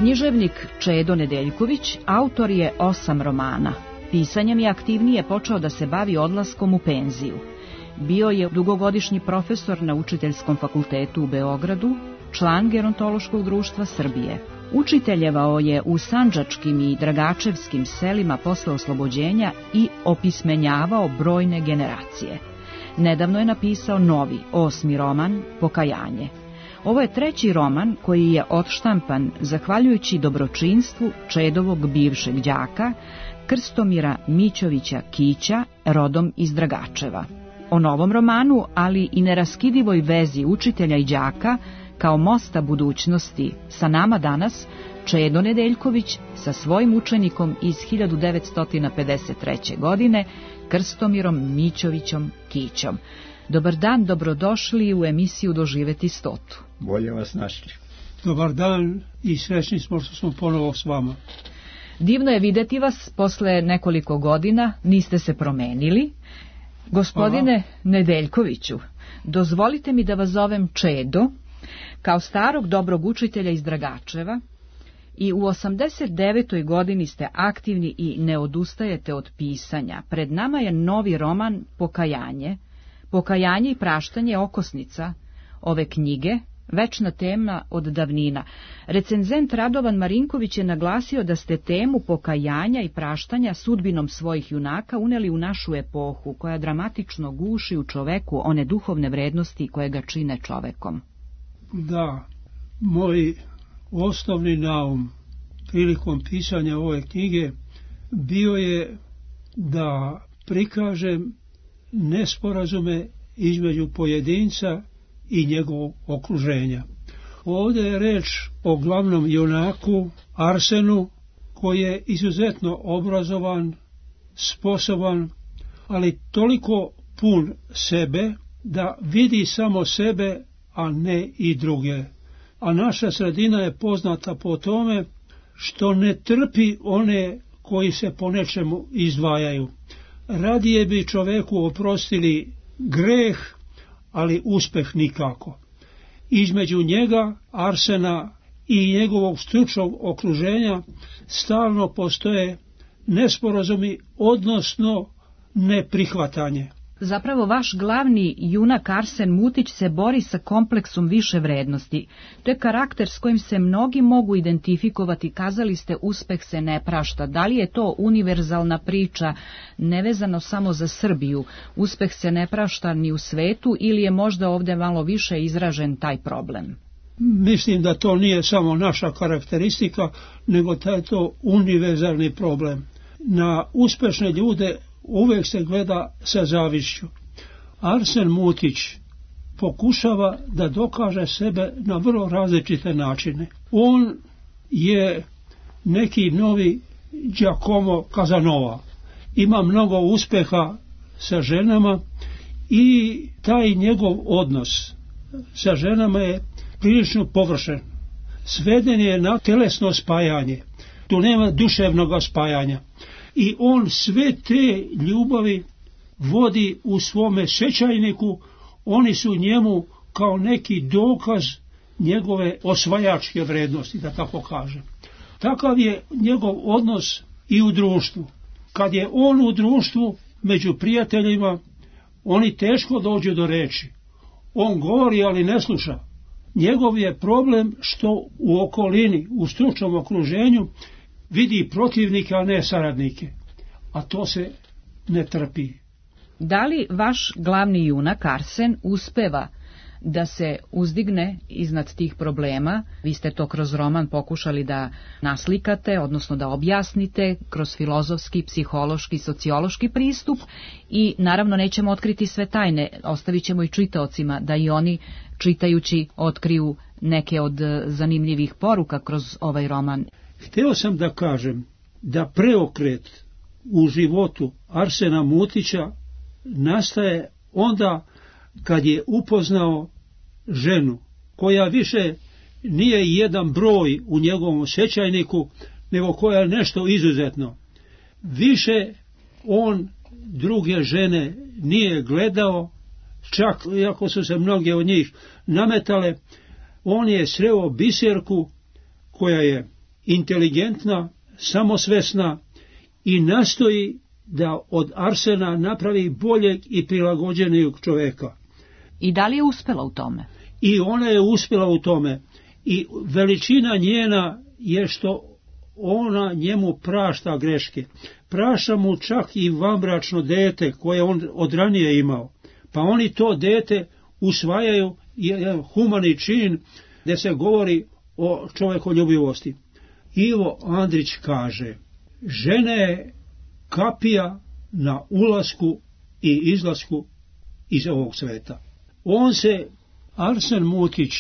Književnik Čedo Nedeljković autor je osam romana. Pisanjem je aktivnije počeo da se bavi odlaskom u penziju. Bio je dugogodišnji profesor na Učiteljskom fakultetu u Beogradu, član Gerontološkog društva Srbije. Učiteljevao je u sandžačkim i dragačevskim selima posle oslobođenja i opismenjavao brojne generacije. Nedavno je napisao novi, osmi roman, Pokajanje. Ovo je treći roman koji je odštampan zahvaljujući dobročinstvu Čedovog bivšeg đaka, Krstomira Mićovića Kića, rodom iz Dragačeva. O novom romanu, ali i neraskidivoj vezi učitelja i đaka, kao mosta budućnosti, sa nama danas Čedo Nedeljković sa svojim učenikom iz hiljadu devetsto pedeset treće. godine, Krstomirom Mićovićom Kićom. Dobar dan, dobrodošli u emisiju Doživeti stotu. Bolje vas našli. Dobar dan i srećni smo što smo ponovo s vama. Divno je videti vas posle nekoliko godina, niste se promenili. Gospodine Aha. Nedeljkoviću, dozvolite mi da vas zovem Čedo, kao starog dobrog učitelja iz Dragačeva, i u osamdeset devetoj godini ste aktivni i ne odustajete od pisanja. Pred nama je novi roman Pokajanje. Pokajanje i praštanje okosnica ove knjige, večna tema od davnina. Recenzent Radovan Marinković je naglasio da ste temu pokajanja i praštanja sudbinom svojih junaka uneli u našu epohu, koja dramatično guši u čoveku one duhovne vrednosti koje ga čine čovekom. Da, moj osnovni naum prilikom pisanja ove knjige bio je da prikažem nesporazume između pojedinca i njegovog okruženja. Ovdje je reč o glavnom junaku Arsenu, koji je izuzetno obrazovan, sposoban, ali toliko pun sebe da vidi samo sebe, a ne i druge. A naša sredina je poznata po tome što ne trpi one koji se po nečemu izdvajaju. Radije bi čoveku oprostili greh, ali uspeh nikako. Između njega, Arsena, i njegovog stručnog okruženja stalno postoje nesporazumi, odnosno neprihvatanje. Zapravo vaš glavni junak Arsen Mutić se bori sa kompleksom više vrednosti. To je karakter s kojim se mnogi mogu identifikovati. Kazali ste, uspeh se ne prašta. Da li je to univerzalna priča, nevezano samo za Srbiju? Uspeh se ne prašta ni u svetu, ili je možda ovdje malo više izražen taj problem? Mislim da to nije samo naša karakteristika, nego da je to univerzalni problem. Na uspešne ljude uvijek se gleda sa zavišću. Arsen Mutić pokušava da dokaže sebe na vrlo različite načine. On je neki novi Giacomo Casanova. Ima mnogo uspeha sa ženama i taj njegov odnos sa ženama je prilično površen. Sveden je na telesno spajanje. Tu nema duševnog spajanja. I on sve te ljubavi vodi u svome sećajniku, oni su njemu kao neki dokaz njegove osvajačke vrednosti, da tako kažem. Takav je njegov odnos i u društvu. Kad je on u društvu, među prijateljima, oni teško dođu do reči. On govori, ali ne sluša. Njegov je problem što u okolini, u stručnom okruženju, vidi protivnike, a ne saradnike. A to se ne trpi. Da li vaš glavni junak Arsen uspeva da se uzdigne iznad tih problema? Vi ste to kroz roman pokušali da naslikate, odnosno da objasnite kroz filozofski, psihološki, sociološki pristup, i naravno nećemo otkriti sve tajne, ostavit ćemo i čitaocima da i oni, čitajući, otkriju neke od zanimljivih poruka kroz ovaj roman. Hteo sam da kažem da preokret u životu Arsena Mutića nastaje onda kad je upoznao ženu, koja više nije jedan broj u njegovom sećajniku, nego koja je nešto izuzetno. Više on druge žene nije gledao, čak iako su se mnoge od njih nametale, on je sreo Biserku, koja je inteligentna, samosvesna i nastoji da od Arsena napravi boljeg i prilagođenijeg čoveka. I da li je uspela u tome? I ona je uspjela u tome. I veličina njena je što ona njemu prašta greške. Prašta mu čak i vanbračno dete koje on od ranije imao. Pa oni to dete usvajaju jedan humani čin gdje se govori o čovjekoljubivosti. Ivo Andrić kaže, žena je kapija na ulasku i izlasku iz ovog sveta. On se, Arsen Mutić,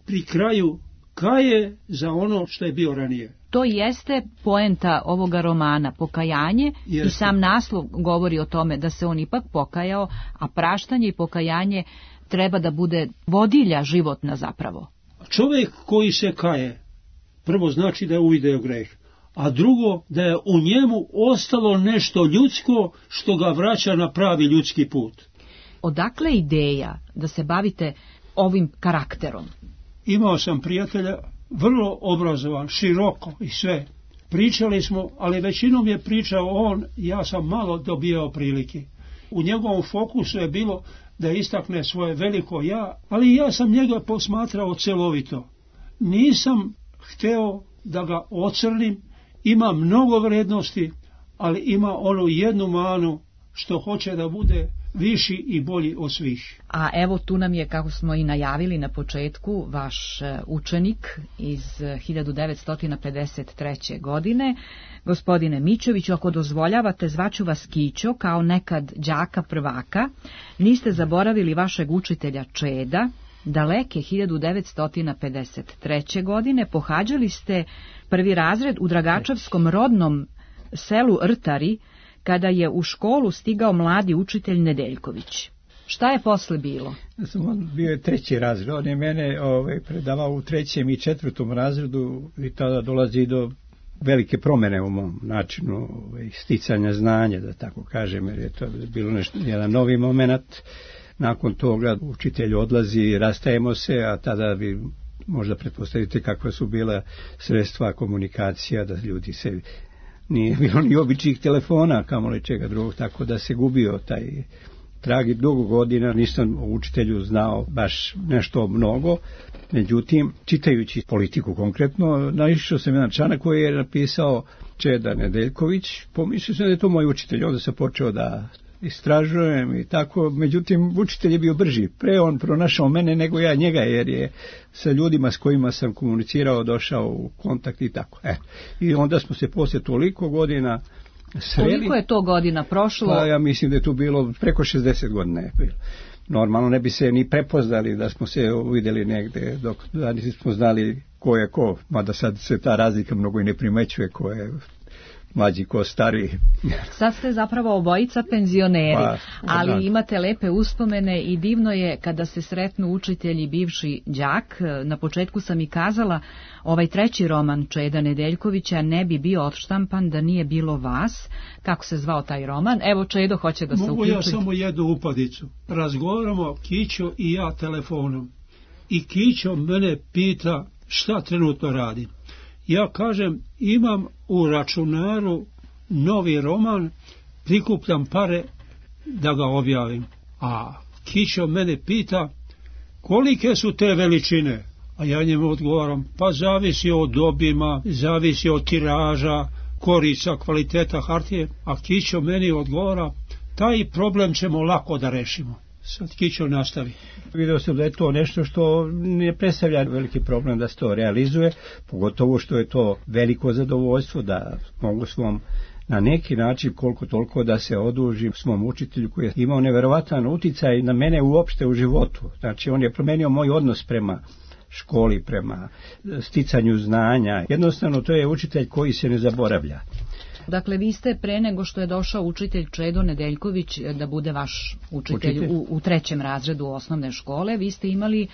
pri kraju kaje za ono što je bio ranije. To jeste poenta ovoga romana, pokajanje, jeste. I sam naslov govori o tome da se on ipak pokajao, a praštanje i pokajanje treba da bude vodilja životna zapravo. Čovjek koji se kaje, prvo znači da je uvideo greh, a drugo da je u njemu ostalo nešto ljudsko što ga vraća na pravi ljudski put. Odakle ideja da se bavite ovim karakterom? Imao sam prijatelja, vrlo obrazovan, široko i sve. Pričali smo, ali većinom je pričao on, ja sam malo dobijao prilike. U njegovom fokusu je bilo da istakne svoje veliko ja, ali ja sam njega posmatrao celovito. Nisam hteo da ga ocrnim, ima mnogo vrednosti, ali ima onu jednu manu što hoće da bude viši i bolji od svih. A evo tu nam je, kako smo i najavili na početku, vaš učenik iz hiljadu devetsto pedeset treće. godine. Gospodine Mićoviću, ako dozvoljavate, zvaću vas Kićo kao nekad đaka prvaka. Niste zaboravili vašeg učitelja Čeda. Daleke hiljadu devetsto pedeset treće. godine pohađali ste prvi razred u Dragačevskom rodnom selu Rtari, kada je u školu stigao mladi učitelj Nedeljković. Šta je posle bilo? On bio je treći razred, on je mene ovaj, predavao u trećem i četvrtom razredu i tada dolazi do velike promjene u mom načinu ovaj, sticanja znanja, da tako kažem, jer je to bilo nešto, jedan novi moment. Nakon toga učitelj odlazi, rastajemo se, a tada vi možda pretpostavite kakva su bila sredstva komunikacija, da ljudi se... Nije bilo ni običnih telefona, kamoli čega drugog, tako da se gubio taj trag i dugo godina nisam o učitelju znao baš nešto mnogo. Međutim, čitajući politiku konkretno, naišao sam jedan članak koji je napisao Čeda Nedeljković, pomislio sam da je to moj učitelj, onda sam počeo da istražujem i tako, međutim učitelj je bio brži, pre on pronašao mene nego ja njega, jer je sa ljudima s kojima sam komunicirao došao u kontakt i tako. E. I onda smo se poslije toliko godina sreli. Koliko je to godina prošlo? Pa ja mislim da je tu bilo preko šezdeset godina je bilo. Normalno ne bi se ni prepoznali da smo se vidjeli negde, dok da nismo znali ko je ko, mada sad se ta razlika mnogo i ne primećuje ko je mlađi ko stari. Sad ste zapravo obojica penzioneri, pa, ali da. Imate lepe uspomene i divno je kada se sretnu učitelji bivši đak. Na početku sam i kazala, ovaj treći roman Čeda Nedeljkovića ne bi bio odštampan da nije bilo vas. Kako se zvao taj roman? Evo Čedo hoće da se Mogu uključi. Ja samo jednu upadicu. Razgovaramo Kićo i ja telefonom. I Kićo mene pita šta trenutno radim. Ja kažem, imam u računaru novi roman, prikupljam pare da ga objavim. A Kićo mene pita, kolike su te veličine? A ja njemu odgovaram, pa zavisi od obima, zavisi od tiraža, korica, kvaliteta hartije. A Kićo meni odgovara, taj problem ćemo lako da rešimo. Sad Kićo nastavi. Vidio sam da je to nešto što ne predstavlja veliki problem da se to realizuje, pogotovo što je to veliko zadovoljstvo da mogu svom na neki način koliko toliko da se odužim svom učitelju koji je imao neverovatan uticaj na mene uopšte u životu. Znači on je promenio moj odnos prema školi, prema sticanju znanja. Jednostavno to je učitelj koji se ne zaboravlja. Dakle, vi ste pre nego što je došao učitelj Čedo Nedeljković da bude vaš učitelj, učitelj. U, u trećem razredu osnovne škole, vi ste imali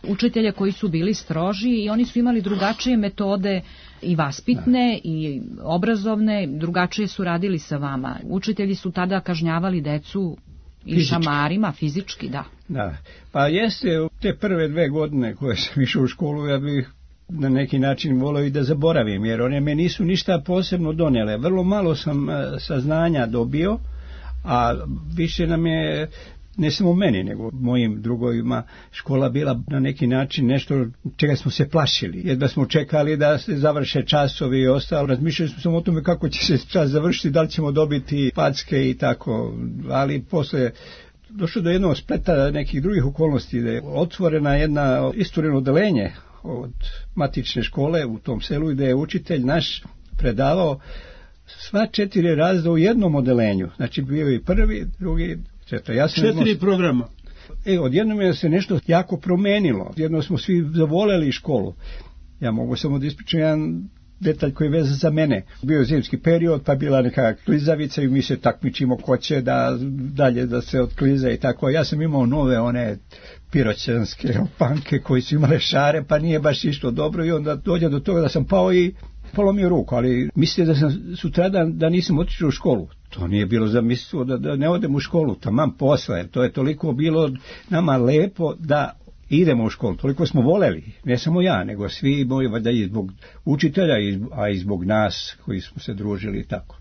učitelje koji su bili stroži i oni su imali drugačije metode i vaspitne da. I obrazovne, drugačije su radili sa vama. Učitelji su tada kažnjavali decu i fizički. Šamarima, fizički, da. Da, pa jeste te prve dve godine koje sam išao u školu, ja bih na neki način volio i da zaboravim, jer one me nisu ništa posebno donele. Vrlo malo sam saznanja dobio, a više nam je, ne samo meni, nego mojim drugovima, škola bila na neki način nešto čega smo se plašili. Jedva smo čekali da se završe časovi i ostalo. Razmišljali smo samo o tome kako će se čas završiti, da li ćemo dobiti packe i tako. Ali posle došlo do jednog spleta nekih drugih okolnosti, da je otvorena jedna istureno odelenje od matične škole u tom selu, gde je učitelj naš predavao sva četiri razreda u jednom odelenju. Znači bio i prvi, drugi, četiri. Ja četiri imao... programa. E, odjednom je se nešto jako promenilo. Odjednom smo svi zavoleli školu. Ja mogu samo da ispričam jedan detalj koji je vezan za mene. Bio je zimski period, pa bila neka klizavica i mi se takmičimo ko će da dalje da se otkliza i tako. Ja sam imao nove one piroćanske panke koji su imale šare, pa nije baš išlo dobro i onda dođe do toga da sam pao i polomio ruku, ali mislite da sam sutradan da nisam otišao u školu. To nije bilo zamislio da, da ne odem u školu, taman posle. To je toliko bilo nama lepo da idemo u školu, toliko smo voleli, ne samo ja, nego svi moji, da i zbog učitelja, a i zbog nas koji smo se družili i tako.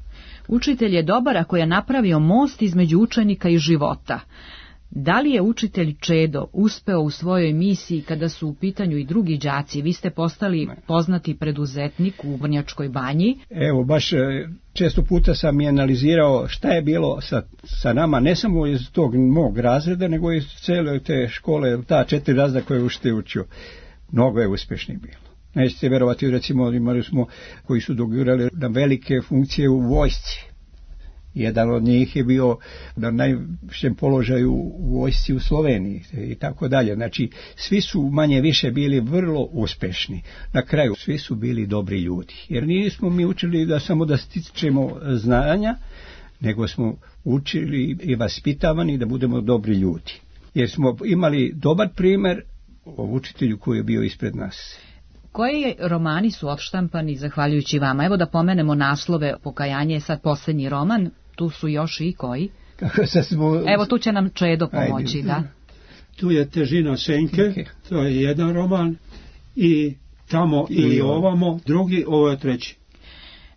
Učitelj je dobar ako je napravio most između učenika i života. Da li je učitelj Čedo uspeo u svojoj misiji kada su u pitanju i drugi đaci? Vi ste postali poznati preduzetnik u Vrnjačkoj Banji. Evo, baš često puta sam i analizirao šta je bilo sa, sa nama, ne samo iz tog mog razreda, nego iz cele te škole, ta četiri razreda koje učitelj učio. Mnogo je uspješnih bilo. Nećete verovati, recimo, imali smo koji su dogurali na velike funkcije u vojsci. Jedan od njih je bio na najvišem položaju u vojsci u Sloveniji i tako dalje. Znači, svi su manje više bili vrlo uspešni. Na kraju, svi su bili dobri ljudi. Jer nismo mi učili da samo da stičemo znanja, nego smo učili i vaspitavani da budemo dobri ljudi. Jer smo imali dobar primjer o učitelju koji je bio ispred nas. Koji romani su odštampani zahvaljujući vama? Evo da pomenemo naslove. Pokajanje je sad posljednji roman. Tu su još i koji? Smo... Evo tu će nam Čedo pomoći. Ajde. Da. Tu je Težina senke, okay. To je jedan roman. I Tamo I ili ovamo, drugi, ovo je treći.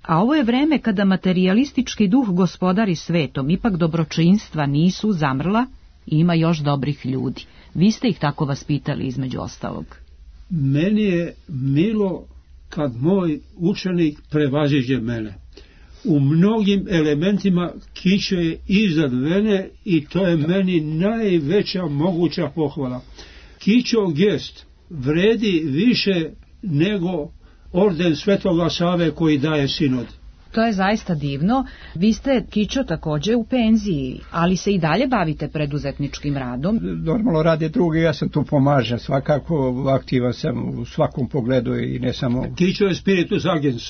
A ovo je vreme kada materijalistički duh gospodari svetom, ipak dobročinstva nisu zamrla i ima još dobrih ljudi. Vi ste ih tako vaspitali između ostalog. Meni je milo kad moj učenik prevaziđe mene. U mnogim elementima Kićo je iznad mene i to je meni najveća moguća pohvala. Kićov gest vredi više nego orden Svetoga Save koji daje sinod. To je zaista divno. Vi ste, Kićo, također u penziji, ali se i dalje bavite preduzetničkim radom. Normalno rade drugi, ja sam tu pomažem. Svakako aktivan sam u svakom pogledu i ne samo... Kićo je spiritus agens.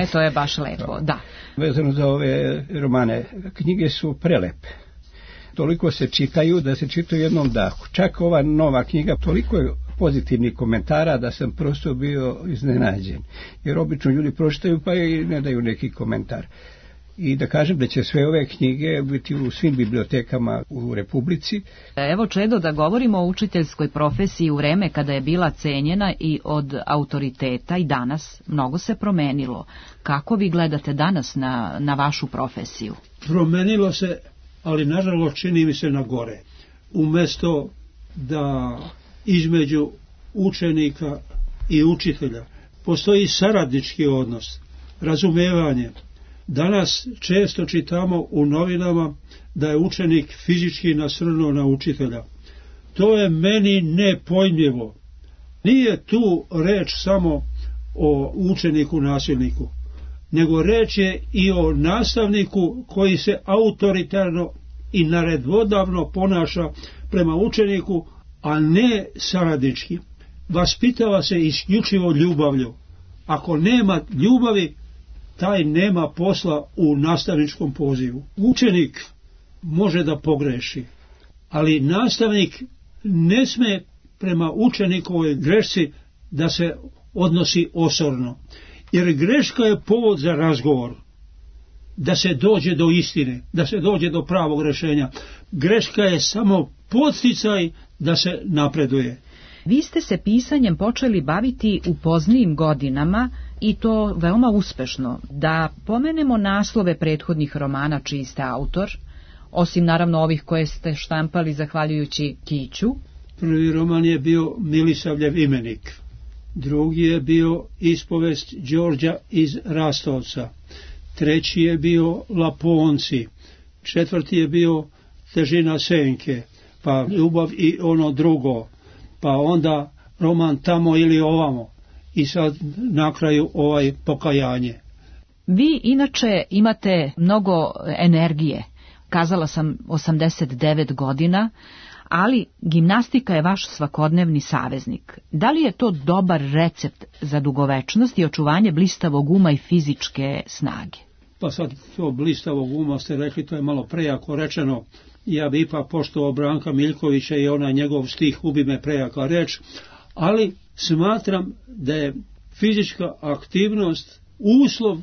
E, to je baš lepo, da. Vezano za ove romane, knjige su prelepe. Toliko se čitaju da se čitaju jednom dahu. Čak ova nova knjiga, toliko je pozitivnih komentara da sam prosto bio iznenađen. Jer obično ljudi pročitaju pa i ne daju neki komentar. I da kažem da će sve ove knjige biti u svim bibliotekama u Republici. Evo, Čedo, da govorimo o učiteljskoj profesiji u vreme kada je bila cenjena i od autoriteta i danas mnogo se promenilo. Kako vi gledate danas na, na vašu profesiju? Promenilo se, ali nažalost čini mi se na gore. Umjesto da između učenika i učitelja postoji saradnički odnos, razumevanje. Danas često čitamo u novinama da je učenik fizički nasrnuo na učitelja. To je meni nepojmljivo. Nije tu reč samo o učeniku nasilniku, nego reč je i o nastavniku koji se autoritarno i naredvodavno ponaša prema učeniku, a ne saradnički. Vaspitava se isključivo ljubavlju. Ako nema ljubavi, taj nema posla u nastavničkom pozivu. Učenik može da pogreši, ali nastavnik ne sme prema učenikovoj grešci da se odnosi osorno. Jer greška je povod za razgovor, da se dođe do istine, da se dođe do pravog rješenja. Greška je samo podsticaj da se napreduje. Vi ste se pisanjem počeli baviti u poznijim godinama i to veoma uspešno. Da pomenemo naslove prethodnih romana čiji ste autor, osim naravno ovih koje ste štampali zahvaljujući Kiću. Prvi roman je bio Milisavljev imenik. Drugi je bio Ispovest Đorđa iz Rastovca. Treći je bio Laponci. Četvrti je bio Težina senke. Pa Ljubav i ono drugo. Pa onda roman Tamo ili ovamo. I sad na kraju ovaj Pokajanje. Vi inače imate mnogo energije. Kazala sam osamdeset devet godina, ali gimnastika je vaš svakodnevni saveznik. Da li je to dobar recept za dugovečnost i očuvanje blistavog uma i fizičke snage? Pa sad to blistavog uma ste rekli, to je malo prejako rečeno. Ja bi ipak poštovao Branka Miljkovića i onaj njegov stih Ubi me prejaka reč, ali smatram da je fizička aktivnost uslov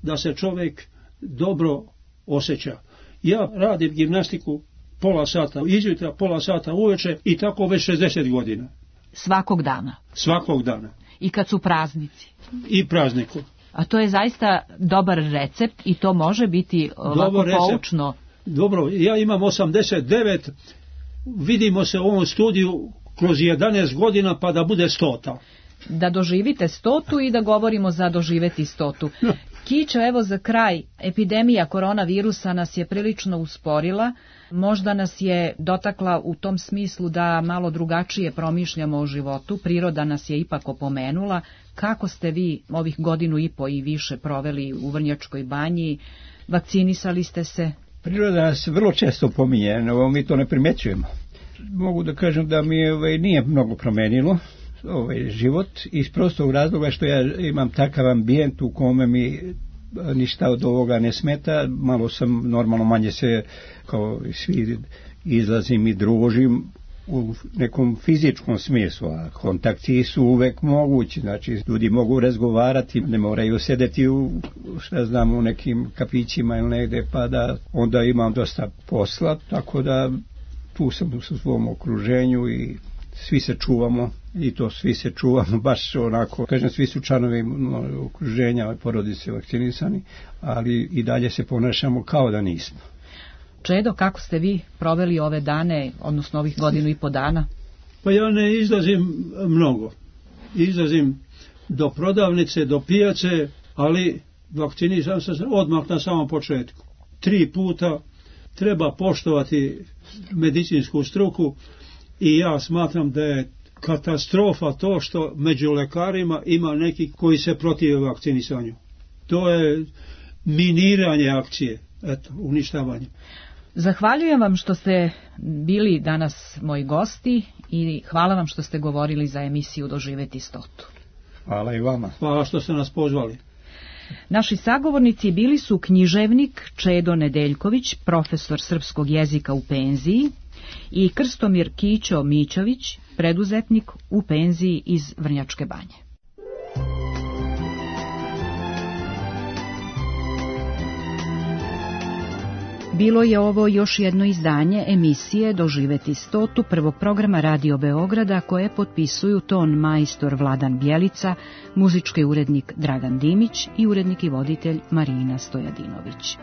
da se čovjek dobro osjeća. Ja radim gimnastiku pola sata izjutra, pola sata uveče i tako već šezdeset godina. Svakog dana? Svakog dana. I kad su praznici? I prazniku. A to je zaista dobar recept i to može biti ovako poučno. Dobro, ja imam osamdeset devet, vidimo se u ovom studiju kroz jedanaest godina pa da bude stota. Da doživite stotu i da govorimo za doživeti stotu. Kićo, evo za kraj, epidemija koronavirusa nas je prilično usporila, možda nas je dotakla u tom smislu da malo drugačije promišljamo o životu, priroda nas je ipak opomenula. Kako ste vi ovih godinu i po i više proveli u Vrnjačkoj banji, vakcinisali ste se? Priroda nas vrlo često pominje, no mi to ne primećujemo. Mogu da kažem da mi ovaj, nije mnogo promenilo ovaj život iz prostog razloga što ja imam takav ambijent u kome mi ništa od ovoga ne smeta, malo sam normalno manje se kao svi izlazim i družim u nekom fizičkom smislu, a kontakti su uvek mogući, znači ljudi mogu razgovarati, ne moraju sedeti u, šta znam, u nekim kafićima ili negde, pa da onda imam dosta posla, tako da tu sam u svom okruženju i svi se čuvamo i to svi se čuvamo baš onako, kažem, svi su članovi okruženja, porodice vakcinisani, ali i dalje se ponašamo kao da nismo. Čedo, kako ste vi proveli ove dane, odnosno ovih godinu i po dana? Pa ja ne izlazim mnogo. Izlazim do prodavnice, do pijace, ali vakcinisan sam odmah na samom početku. Tri puta treba poštovati medicinsku struku i ja smatram da je katastrofa to što među lekarima ima neki koji se protive vakcinisanju. To je miniranje akcije, eto, uništavanje. Zahvaljujem vam što ste bili danas moji gosti i hvala vam što ste govorili za emisiju Doživeti stotu. Hvala i vama. Hvala što ste nas pozvali. Naši sagovornici bili su književnik Čedo Nedeljković, profesor srpskog jezika u penziji, i Krstomir Kićo Mićović, preduzetnik u penziji iz Vrnjačke banje. Bilo je ovo još jedno izdanje emisije Doživeti stotu prvog programa Radio Beograda koje potpisuju ton majstor Vladan Bjelica, muzički urednik Dragan Dimić i urednik i voditelj Marina Stojadinović.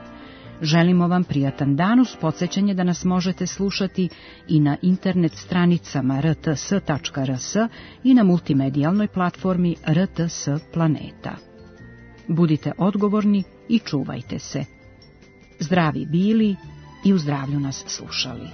Želimo vam prijatan dan uz podsjećanje da nas možete slušati i na internet stranicama r t s tačka r s i na multimedijalnoj platformi R T S Planeta. Budite odgovorni i čuvajte se. Zdravi bili i u zdravlju nas slušali.